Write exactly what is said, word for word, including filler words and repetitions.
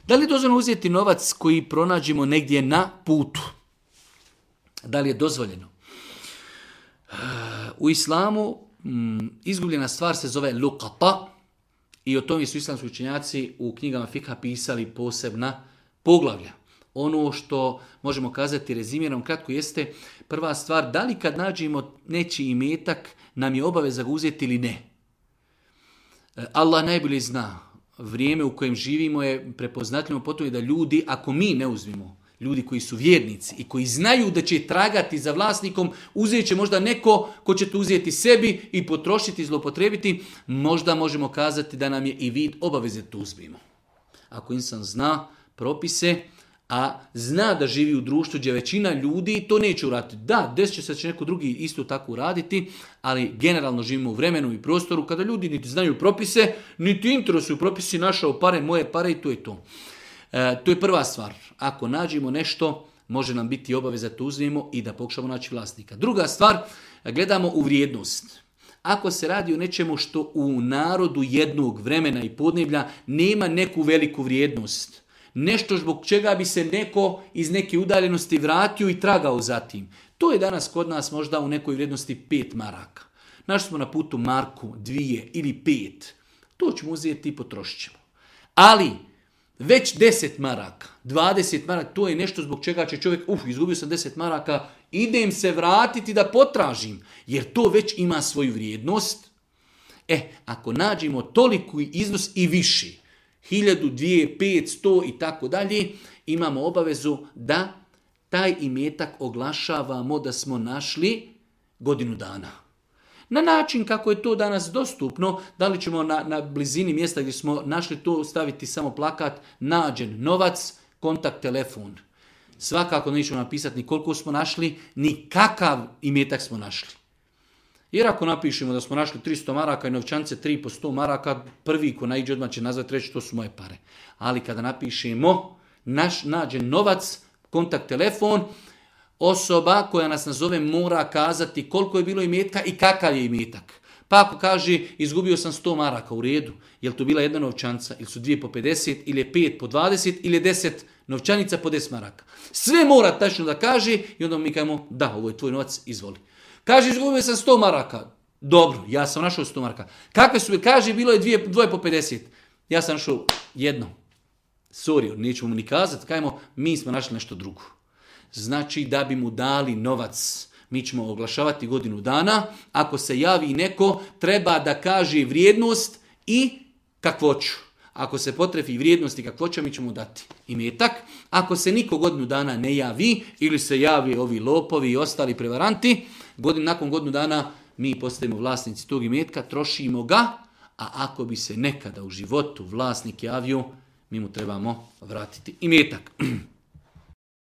Da li je dozvoljeno uzeti novac koji pronađemo negdje na putu? Da li je dozvoljeno? U islamu izgubljena stvar se zove luqata i o tome su islamski učenjaci u knjigama fikha pisali posebna poglavlja. Ono što možemo kazati rezimiram kratko jeste prva stvar, da li kad nađemo nečiji imetak nam je obaveza ga uzeti ili ne. Allah najbolje zna. Vrijeme u kojem živimo je prepoznatljivo potom da ljudi, ako mi ne uzmimo, ljudi koji su vjernici i koji znaju da će tragati za vlasnikom, uzet će možda neko ko će to uzeti sebi i potrošiti i zlopotrebiti, možda možemo kazati da nam je i vid obaveze to uzmimo. Ako insan zna propise, a zna da živi u društvu gdje većina ljudi to neće uraditi. Da, desit će se da će neko drugi isto tako uraditi, ali generalno živimo u vremenu i prostoru kada ljudi niti znaju propise, niti interesuju propisi, našao pare, moje pare i to je to. E, to je prva stvar. Ako nađemo nešto, može nam biti obaveza da to uzmemo i da pokušamo naći vlasnika. Druga stvar, gledamo u vrijednost. Ako se radi o nečemu što u narodu jednog vremena i podneblja nema neku veliku vrijednost, nešto zbog čega bi se neko iz neke udaljenosti vratio i tragao za tim. To je danas kod nas možda u nekoj vrijednosti pet maraka. Našli smo na putu marku, dvije ili pet. To ćemo uzeti i potrošit ćemo. Ali već deset maraka, dvadeset maraka, to je nešto zbog čega će čovjek, uf, izgubio sam deset maraka, idem se vratiti da potražim, jer to već ima svoju vrijednost. E, ako nađemo toliko iznos i viši, hiljadu, dvije, pet, sto i tako dalje, imamo obavezu da taj imetak oglašavamo da smo našli godinu dana. Na način kako je to danas dostupno, da li ćemo na, na blizini mjesta gdje smo našli to staviti samo plakat, nađen novac, kontakt, telefon. Svakako nećemo napisati ni koliko smo našli, ni kakav imetak smo našli. Jer ako napišemo da smo našli tristo maraka i novčance tri po sto maraka, prvi ko naiđe odmah će nazvati reći to su moje pare. Ali kada napišemo naš nađen novac, kontakt, telefon, osoba koja nas nazove mora kazati koliko je bilo imetka i kakav je imetak. Pa ako kaže izgubio sam sto maraka u redu, je li to bila jedna novčanca, ili su dvije po pedeset, ili je pet po dvadeset, ili je deset novčanica po deset maraka. Sve mora tačno da kaže i onda mi kažemo da, ovo je tvoj novac, izvoli. Kaže, izgubio sam sto maraka. Dobro, ja sam našao sto maraka. Kakve su? Kaže, bilo je dvije, dvoje po pedeset. Ja sam našao jedno. Sorry, nećemo mu ni kazati. Kajmo, mi smo našli nešto drugo. Znači, da bi mu dali novac, mi ćemo oglašavati godinu dana. Ako se javi neko, treba da kaže vrijednost i kakvoću. Ako se potrefi vrijednost i kakvoća, mi ćemo dati imetak. Ako se niko godinu dana ne javi, ili se javi ovi lopovi i ostali prevaranti, godin, nakon godinu dana mi postajemo vlasnici tog imetka, trošimo ga, a ako bi se nekada u životu vlasnik javio, mi mu trebamo vratiti imetak.